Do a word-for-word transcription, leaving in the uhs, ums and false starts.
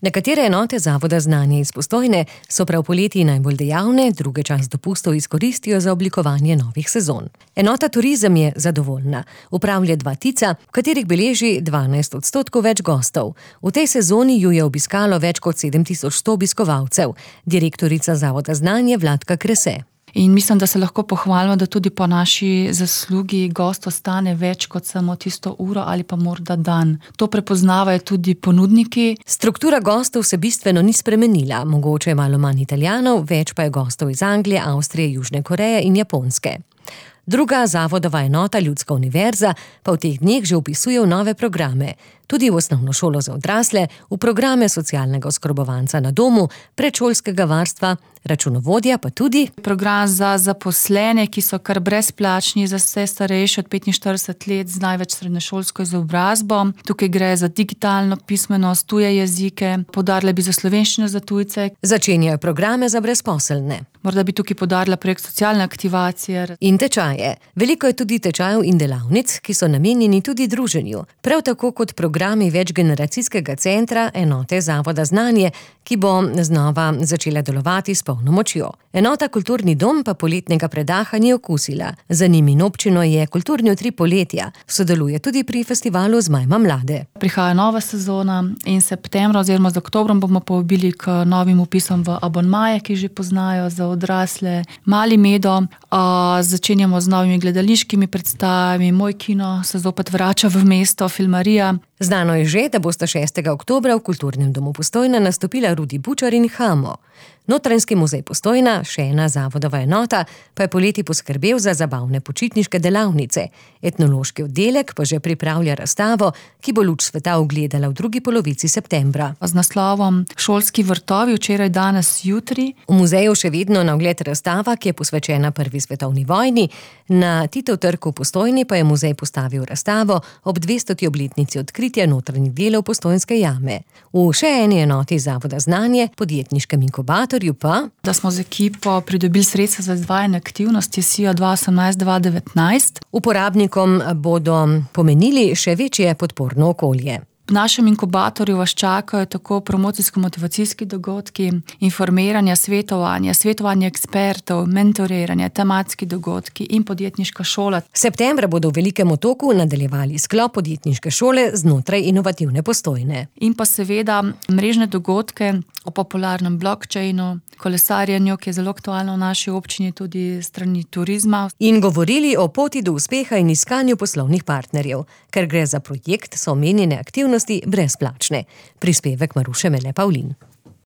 Nekatere enote Zavoda Znanje iz Postojne so prav poleti najbolj dejavne, druge čas dopustov izkoristijo za oblikovanje novih sezon. Enota Turizem je zadovoljna. Upravlja dva Tica, v katerih beleži dvanajst odstotkov več gostov. V tej sezoni ju je obiskalo več kot sedem tisoč sto obiskovalcev. Direktorica Zavoda Znanje Vladka Krese. In mislim, da se lahko pohvalimo, da tudi po naši zaslugi gost ostane več kot samo tisto uro ali pa morda dan. To prepoznavajo tudi ponudniki. Struktura gostov se bistveno ni spremenila. Mogoče je malo manj Italijanov, več pa je gostov iz Anglije, Avstrije, Južne Koreje in Japonske. Druga zavodova enota, Ljudska univerza, pa v teh dneh že vpisuje v nove programe. Tudi v osnovno šolo za odrasle, v programe socialnega oskrbovanca na domu, predšolskega varstva, računovodja pa tudi program za zaposlene, ki so kar brezplačni za vse starejše od petinštirideset let z največ srednješolsko izobrazbo. Tukaj gre za digitalno pismenost, tuje jezike, poudarila bi za slovenščino za tujce. Začenjajo programe za brezposelne. Morda bi tukaj poudarila projekt socialne aktivacije. In tečaje. Veliko je tudi tečajev in delavnic, ki so namenjeni tudi druženju. Prav tako kot programi večgeneracijskega centra enote Zavoda Znanje, ki bo znova začela delovati s polno močjo. Enota Kulturni dom pa poletnega predaha ni okusila. Za njim in občino je Kulturni utrip poletja. Sodeluje tudi pri festivalu Zmajma mlade. Prihaja nova sezona in septembra oziroma z oktobrom bomo povabili k novim vpisom v abonmaje, ki že poznajo za odrasle. Mali Medo, a, začenjamo z novimi gledališkimi predstavami, Moj kino se zopet vrača v mesto, Filmarija. Znano je že, da bosta šestega oktobra v Kulturnem domu Postojna nastopila Rudi Bučar in Hamo. Notranjski muzej Postojna, še ena zavodova enota, pa je poleti poskrbel za zabavne počitniške delavnice. Etnološki oddelek pa že pripravlja razstavo, ki bo luč sveta ugledala v drugi polovici septembra. Z naslovom Šolski vrtovi, včeraj, danes, jutri. V muzeju še vedno na ogled razstava, ki je posvečena prvi svetovni vojni. Na Titov trg v Postojni pa je muzej postavil razstavo ob dvestoti obletnici odkritja notranjih delov Postojnske jame. V še eni enoti Zavoda Znanje, podjetniškem inkubatorju pa, da smo z ekipo pridobili sredstva za izvajanje aktivnosti S I A dva osemnajst dva devetnajst. Uporabnikom bodo pomenili še večje podporno okolje. V našem inkubatorju vas čakajo tako promocijsko-motivacijski dogodki, informiranja, svetovanja, svetovanje ekspertov, mentoriranje, tematski dogodki in podjetniška šola. Septembra bodo v Velikem Otoku nadaljevali sklop podjetniške šole znotraj inovativne Postojne. In pa seveda mrežne dogodke o popularnem blockchainu, kolesarjenju, ki je zelo aktualno v naši občini tudi strani turizma. In govorili o poti do uspeha in iskanju poslovnih partnerjev. Ker gre za projekt, so omenjene aktivnosti brezplačne. Prispevek Maruše Mele Pavlin.